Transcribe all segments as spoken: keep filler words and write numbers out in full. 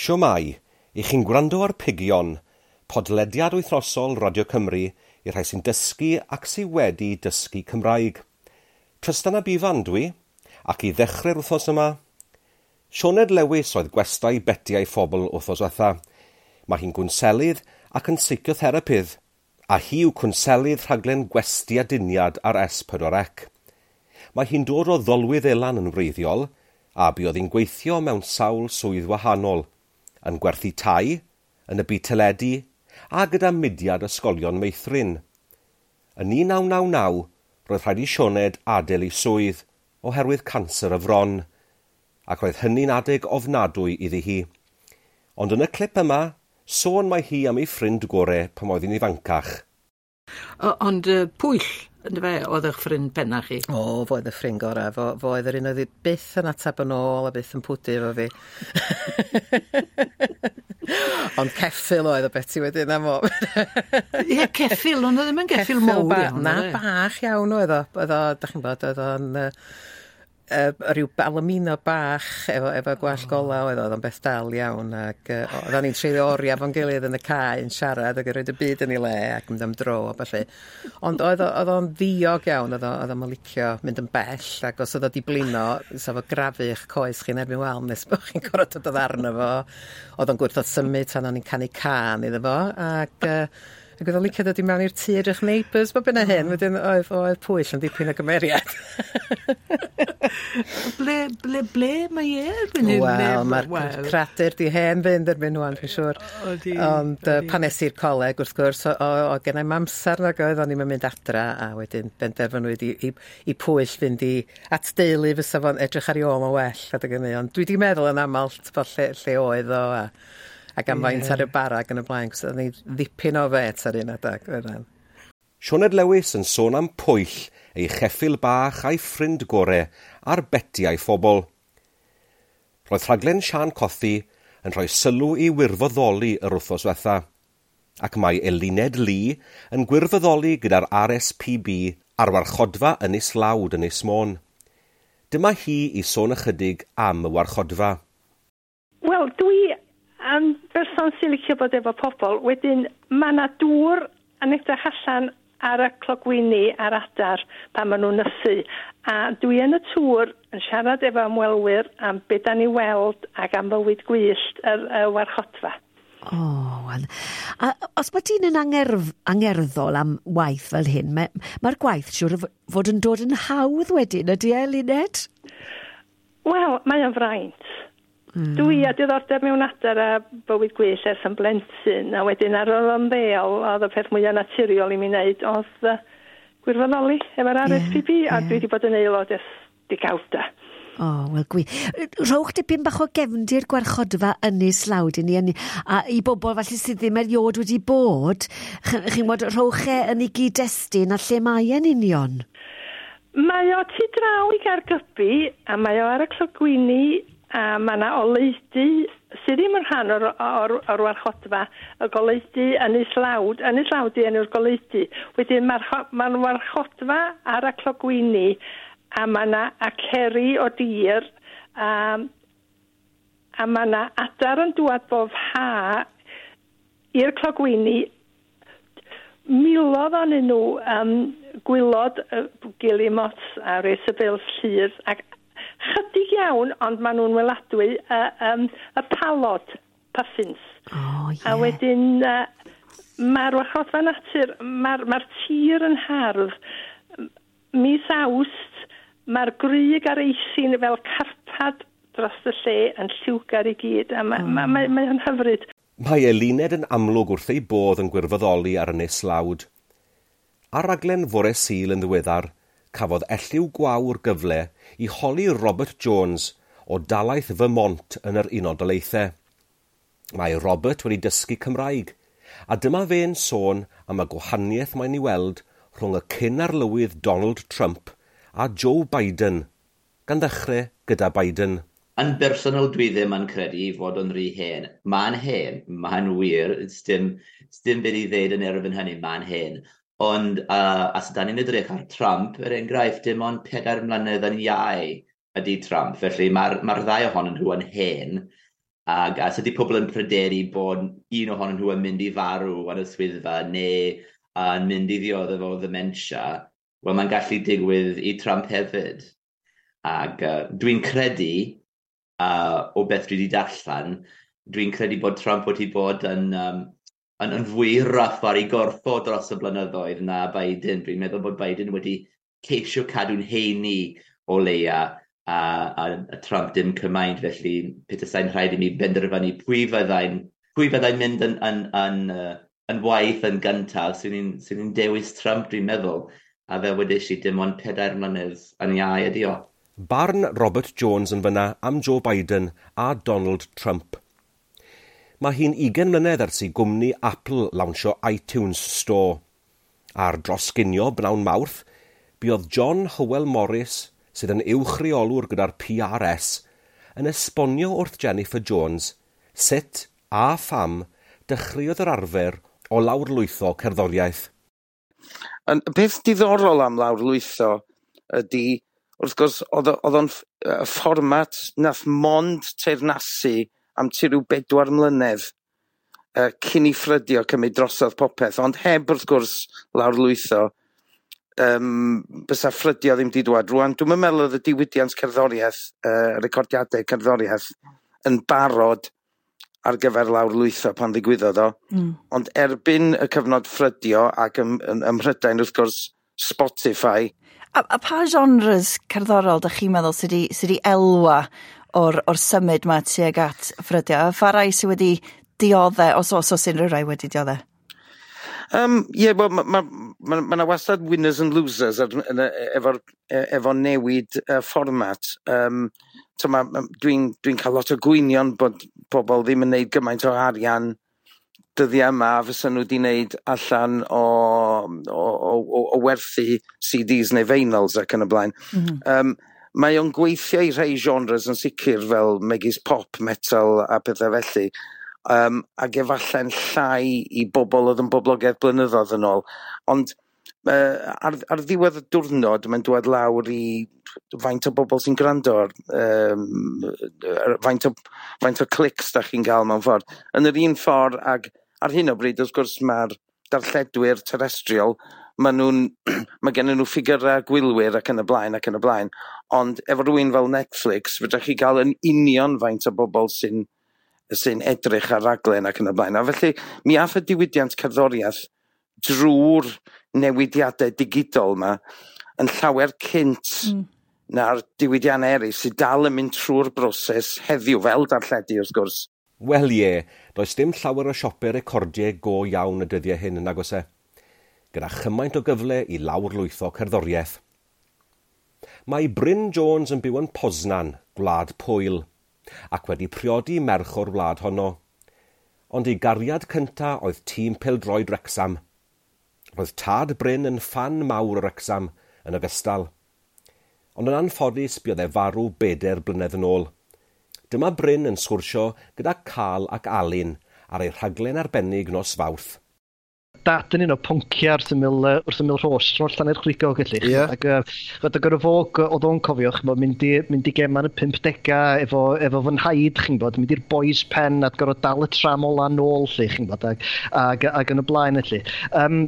Siwmai, i chi'n gwrando ar Pigion, podlediad wythnosol Radio Cymru i'r rhai sy'n dysgu ac sydd wedi dysgu Cymraeg. Trystan ab Ifan dwi, ac i ddechrau'r wythnos yma, Sioned Lewis oedd gwestai Beti a'i Phobl wythnos diwetha. Mae hi'n gwnselydd ac yn seicotherapydd, a hi yw cwnselydd rhaglen Gwesty Aduniad ar S pedwar C. Mae hi'n dod o Ddolwyddelan yn wreiddiol, a buodd hi'n gweithio mewn sawl swydd wahanol, yn gwerthu tai, yn y byd teledu, a gyda mudiad ysgolion meithrin. Yn un naw naw naw, roedd rhaid i Sioned adael ei swydd oherwydd canser y fron, ac roedd hynny'n adeg ofnadwy iddi hi. Ond yn y clip yma, sôn mae hi am ei ffrind gore pan oedd hi'n ifancach. O, ond uh, Pwyll, yndyfe, oedd eich ffrind penna chi? O, fo oedd y ffrind gorau. Fo, fo oedd yr un oedd byth yn ateb yn ôl a byth yn pwdu efo fi. Ond ceffyl oedd o Beti wedyn am o. Ie, ceffyl, ond oedd ddim yn geffyl mawr ba- iawn. Na, oedd e? Bach iawn oedd o. Oedd o, da chi'n bod, oedd o'n uh, uh, rhyw palomino bach efo, efo gwallt oh. gola oedd o, oedd o'n beth dal iawn. Ac uh, oedden ni'n treulio oriau fo'n gilydd yn y cae yn siarad ac yn rhoi y byd yn ei le ac mynd am dro a ballu. Ond oedd o- oedd o'n ddiog iawn, oedd o- oedd o'n licio mynd yn bell, ac os oedd o di blino, sa fo grafu eich coes chi'n erbyn wal nes bod chi'n gorfod dod arno fo. Oedd o'n gwrthod symud tan o'n i'n canu cân iddo fo, ac uh, ac oedd o'n licio dod i mewn i'r tŷ edrych Neighbours bob hyn a hyn, wedyn oedd, oedd Pwyll yn dipyn o gymeriad. Ble, ble, ble mae e erbyn hyn? Wel, Ble- mae'r wel, cradur di hen fynd erbyn wan, dwi'n siŵr. Odi, Ond uh, odi. pan es i'r coleg, wrth gwrs, o, o, o gen i'm amser nag oedd, o'n i'm yn mynd adra, a wedyn benderfynwyd i, i, i Pwyll fynd i at deulu fysa fo'n edrych ar ei ôl yn well adeg hynny. Ond dwi wedi meddwl yn aml, t'bo, lle, lle oedd o, a, ac am faint ar y bara ac yn y blaen, cos oedd ni ddipyn o fet ar un adeg. Oedden. Sioned Lewis yn sôn am Pwyll, ei cheffyl bach a'i ffrind gore ar Beti a'i Phobl. Roedd rhaglen Siân Cothi yn rhoi sylw i wirfoddoli yr wythnos diwetha, ac mae Eluned Lee yn gwirfoddoli gyda'r R S P B ar warchodfa Ynys Lawd yn Ynys Môn. Dyma hi i sôn ychydig am y warchodfa. Wel, dwi yn berson sy'n licio bod efo pobl. Wedyn, mae yna dŵr yn edrych allan ar y clogwyni a'r adar pan maen nhw'n nythu. A dwi yn y tŵr yn siarad efo ymwelwyr am be da ni weld ac am fywyd gwyllt yr, y warchodfa. O, wel. A os mae dyn yn angerf, angerddol am waith fel hyn, mae'r mae gwaith siŵr o fod yn dod yn hawdd wedyn, ydy e, Luned? Wel, mae o'n fraint. Mm. Dwi â diddordeb mewn adar a bywyd gwyllt ers yn blentyn, a wedyn ar ôl ymddeol, oedd y peth mwyaf naturiol i mi wneud, oedd uh, gwirfoddoli efo'r R S P B, a dwi wedi bod yn aelod ers degawda. O, wel gwych. Rhowch dipyn bach o gefndir gwarchodfa Ynys Lawd i ni, yn- a i bobl falle sydd ddim erioed wedi bod, ch- chi'n gwybod, rhowch e yn ei gyd-destun a lle mae e'n union. Mae o tu draw i Gaergybi, a mae o ar y clogwyni, a mae yna oleudy sydd ddim yn rhan o'r, o'r, o'r warchodfa, y goleudy Ynys Lawd. Ynys Lawd 'di enw'r goleudy. Wedyn mae'r ma warchodfa ar y clogwyni, a mae yna aceri o dir, a, a mae yna adar yn dŵad bob ha i'r clogwyni, miloedd ohonyn nhw, um, gwylod, uh, guillemots a razorbills llyr, ac chydig iawn, ond maen nhw'n weladwy, uh, um, y palod, puffins. O, ie. A wedyn, uh, mae'r warchodfa natur, mae'r ma tir yn hardd. Mis Awst, mae'r grug a'r eisin fel carpad dros y lle yn lliwgar i gyd, a mae ma, ma, ma, mae hyfryd. Mae Eluned yn amlwg wrth ei bodd yn gwirfoddoli ar Ynys Lawd. Ar raglen fore Sul yn ddiweddar, cafodd Elliw Gwawr gyfle i holi Robert Jones o dalaith Vermont yn yr Unol Daleithiau. Mae Robert wedi dysgu Cymraeg, a dyma fe'n sôn am y gwahaniaeth mae'n ei weld rhwng y cyn-arlywydd Donald Trump a Joe Biden, gan ddechrau gyda Biden. Yn bersonol, dwi ddim yn credu fod o'n rhy hen. Mae'n hen, mae'n wir, dim, dim byd i ddeud yn erbyn hynny, mae'n hen. Ond uh, as da ni'n edrych ar Trump, er enghraifft, dim ond pedair mlynedd yn iau ydy Trump. Felly mae'r ma ddau ohonyn nhw yn hen. Ac os ydy pobl yn pryderu bod un ohonyn nhw yn mynd i farw yn y swyddfa neu yn mynd i ddioddef o ddementia, wel, mae'n gallu digwydd i Trump hefyd. Ac uh, dwi'n credu, uh, o beth dwi wedi darllen, dwi'n credu bod Trump wedi bod yn, um, yn, yn fwy rough ar ei gorff o dros y blynyddoedd na Biden. Dwi'n meddwl bod Biden wedi ceisio cadw'n heini o leia a, a, a Trump dim cymaint, felly petasai'n rhaid i mi benderfynu pwy fyddai'n pwy fyddai'n mynd yn, yn, yn, yn, yn waeth yn gyntaf, swn i'n swn i'n dewis Trump, dwi'n meddwl. A fel wedes i, dim ond pedair mlynedd yn iau ydi o. Barn Robert Jones yn fyna am Joe Biden a Donald Trump. Mae hi'n ugain mlynedd ers i gwmni Apple lawnsio iTunes Store. Ar Dros Ginio bnawn Mawrth, buodd John Howell Morris, sydd yn uwch reolwr gyda'r P R S, yn esbonio wrth Jennifer Jones sut a pham dechreuodd yr arfer o lawrlwytho cerddoriaeth. Yn, y peth diddorol am lawrlwytho ydy, wrth gwrs, oedd o- oedd o'n ff- y fformat nath mond teyrnasu am tua rhyw bedwar mlynedd uh, cyn i ffrydio cymryd drosodd popeth, ond heb wrth gwrs lawrlwytho, um, bysa ffrydio ddim di dŵad. Rwan, dwi'n meddwl oedd y diwydiant cerddoriaeth, uh, recordiadau cerddoriaeth, yn barod ar gyfer lawrlwytho pan ddigwyddodd o. Mm. Ond erbyn y cyfnod ffrydio ac ym, ym, ym Mhrydain, wrth gwrs, Spotify. A, a pa genres cerddorol dych chi'n meddwl sydd wedi, sy wedi elwa o'r, or symud ma tuag at ffrydio? A pha rai sydd wedi diodde, os os oes unrhyw rai wedi diodde? Um, Ie, yeah, wel, mae ma, ma, ma 'na wastad winners and losers ar, yn, y- efo'r, e- efo newid uh, fformat. Um, so ma, ma- dwi'n dwi cael lot o gwynion bod pobl ddim yn neud gymaint o arian dyddiau yma fysa nhw wedi wneud allan o, o, o, o, o werthu C Ds neu vinyls ac yn y blaen. Mm -hmm. um, mae o'n gweithio i rhai genres yn sicr fel megis pop, metal a pethau felly. Um, ac efallai'n llai i bobl oedd yn boblogaidd blynyddoedd yn ôl. Ond uh, ar, ar ddiwedd y diwrnod, mae'n dod lawr i faint o bobl sy'n gwrando ar, um, faint, o, faint o clics da chi'n gael mewn ffordd. Yn yr un ffordd, ag ar hyn o bryd, wrth gwrs, mae'r darlledwyr terrestrial, maen nhw'n, mae gen nhw ffigurau gwylwyr ac yn y blaen ac yn y blaen. Ond efo rhywun fel Netflix, fedrwch chi gael yn union faint o bobl sy'n sy'n edrych ar raglen ac yn y blaen. A felly, mi ath y diwydiant cerddoriaeth drwy'r newidiadau digidol yma yn llawer cynt mm. na'r diwydiannau eraill sydd dal yn mynd trwy'r broses heddiw, fel darlledu wrth gwrs. Wel ie, does dim llawer o siopau recordiau go iawn y dyddiau hyn yn nag oes e, gyda chymaint o gyfle i lawrlwytho cerddoriaeth. Mae Bryn Jones yn byw yn Poznan, Gwlad Pwyl, ac wedi priodi merch o'r wlad honno. Ond ei gariad cynta oedd tîm pêl-droed Wrecsam. Roedd tad Bryn yn ffan mawr o Wrecsam yn ogystal. Ond yn anffodus buodd e farw bedair blynedd yn ôl. Dyma Bryn yn sgwrsio gyda Cal ac Alun ar ei rhaglen arbennig nos Fawrth. Dad yn un o poncia wrth ymyl, uh, wrth ymyl Rhos, rho'r Llanerchrugog felly. Ie. Ac uh, ch'od, ac ar y fog, oedd o'n cofio, ch'mod, mynd i, mynd i gema yn y pump degau efo, efo fy nhaid, chi'n bod, mynd i'r Boys Pen a gorfod dal y tram ola nôl, lle, chi'n bod, ac, ac, ac yn y blaen, felly. Um,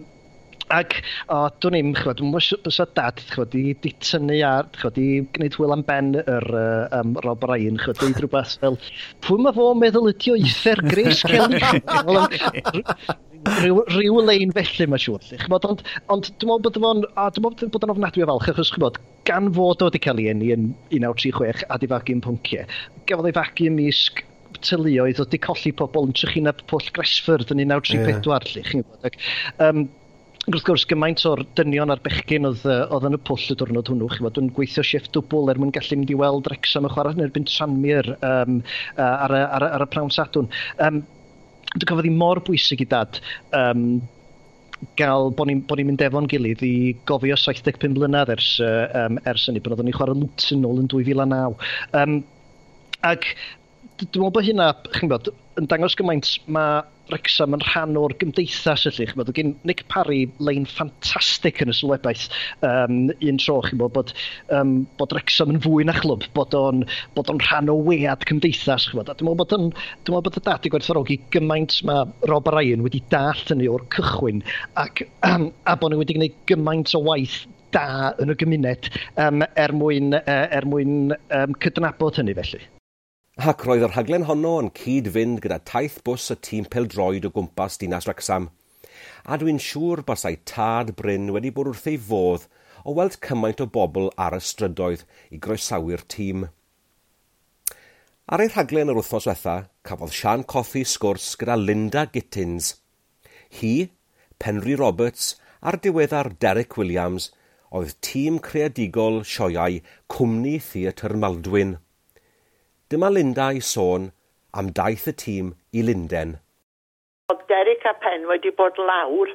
Ac, o, dwi'n i'm, ch'mod, dwi'n meddwl bysa dad, ch'mod, di, di tynnu ar, ch'mod, di gwneud hwyl am ben yr uh, um, Rob Ryan, ch'mod, deud rhywbeth fel, "Pwy mae fo'n meddwl ydi o, uffern Grace Kelly?" Rhyw, rhyw lein felly, mae'n siŵr. Lly. Ch'mod, ond, ond dwi'n meddwl bod o'n, a dwi'n meddwl bod o'n ofnadwy o falch, achos ch'mod, gan fod o wedi cael ei eni yn un naw tri chwech a di fagu yn Ponciau, gafodd ei fagu ymysg teuluoedd oedd wedi colli pobl yn trychineb Pwll Gresford yn un naw tri pedwar, lly, chi'n gwybod. Ac, um, wrth gwrs, gymaint o'r dynion a'r bechgyn oedd, yy, oedd yn y pwll y diwrnod hwnnw, chi'n gwbod, yn gweithio shift dwbl er mwyn gallu mynd i weld Wrexham yn chwarae yn erbyn Tranmere um, uh, ar, y, ar, y, ar y prawn Sadwrn. Um, dwi'n cofio hi mor bwysig i dad um, gael bod ni'n bod ni'n mynd efo'n gilydd i gofio saith deg pump mlynedd ers, uh, um, ers hynny, pan oeddwn ni'n chwarae Luton nôl yn dwy fil a naw. Um, ac Dwi'n meddwl bod hynna, chi'n gwybod, yn dangos gymaint mae Wrexham yn rhan o'r gymdeithas felly. Chi'n gwybod, gen Nick Parry lein ffantastig yn y sylwebaeth um, un tro, chi'n gwybod, bod, um, bod Wrexham yn fwy na chlwb, bod o'n, bod o'n rhan o wead cymdeithas, chi'n gwybod. A dwi'n meddwl bod, yn, dwi'n meddwl bod y dad i gwerthfawrogi gymaint mae Rob Ryan wedi dallt hynny o'r cychwyn ac, um, a bod nhw wedi gwneud gymaint o waith da yn y gymuned um, er mwyn, uh, er mwyn um, cydnabod hynny felly. Ac roedd y rhaglen honno yn cyd-fynd gyda taith bws y tîm pêl-droed o gwmpas dinas Wrecsam. A dwi'n siŵr basai tad Bryn wedi bod wrth ei fodd o weld cymaint o bobl ar y strydoedd i groesawu'r tîm. Ar ei rhaglen yr wythnos diwetha, cafodd Sian Cothi sgwrs gyda Linda Gittins. Hi, Penri Roberts a'r diweddar Derek Williams oedd tîm creadigol sioeau Cwmni Theatr Maldwyn. Dyma Linda i sôn am daith y tîm i Lunden. Oedd Derek a Pen wedi bod lawr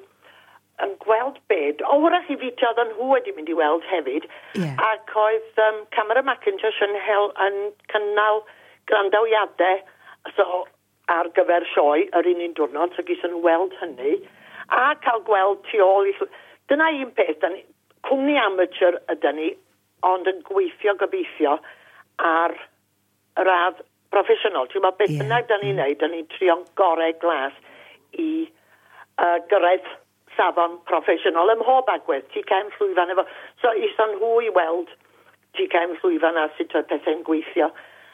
yn gweld bed. O, wrach i fi oedden nhw wedi mynd i weld hefyd. Yeah. Ac oedd um, Cameron Mackintosh yn, hel, yn cynnal grandawiadau so, ar gyfer sioe yr un un diwrnod, so gison nhw weld hynny. A cael gweld tu ôl i... Dyna un peth, da ni, cwmni amateur ydy ni, ond yn gweithio gobeithio ar y radd proffesiynol. Ti'n meddwl, beth bynnag da ni'n neud, da ni'n trio'n gorau glas i uh, gyrraedd safon proffesiynol ym mhob agwedd. Ti cefn llwyfan efo. So, ison nhw i weld ti cefn llwyfan a sut oedd pethau'n gweithio.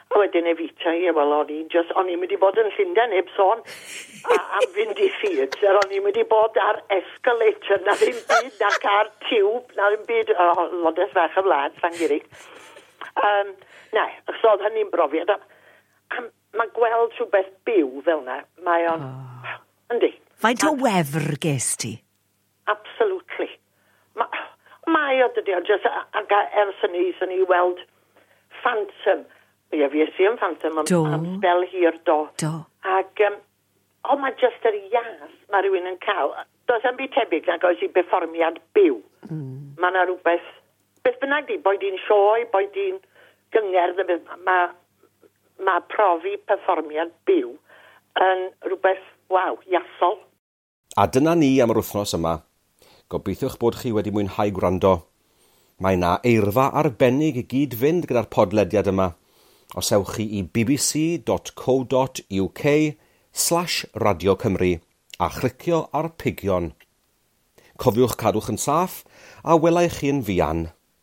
A wedyn Evita, ie, wel, o'n i'n just, o'n i'n mynd i bod yn Llundain, heb sôn a, am fynd i theatr, o'n i'n mynd i bod ar escalator, na ddim byd, na car tiwb, na ddim byd, oh, lodes fach y wlad, Llangurig. Um, na, so oedd hynny'n brofiad. A, a mae gweld rhywbeth byw fel na, mae o'n... Oh. Yndi. Faint o wefr ges ti? Absolutely. Ma, mae o dydy o, just, ac ers hynny, swn i weld Phantom. Ie, fi es i yn Phantom am, am sbel hir do. Do. Ac, um, o, mae just yr ias mae rhywun yn cael. Does am byd tebyg nag oes i berfformiad byw. Mm. Mae yna rhywbeth, beth bynnag di, boed i'n sioe, boed i'n gyngerdd, mae ma profi perfformiad byw yn rhywbeth, waw, iasol. A dyna ni am yr wythnos yma. Gobeithiwch bod chi wedi mwynhau gwrando. Mae yna eirfa arbennig i gyd fynd gyda'r podlediad yma. Os ewch chi i bbc.co.uk slash Radio Cymru a chlicio ar pigion. Cofiwch cadwch yn saff a welai chi yn fuan.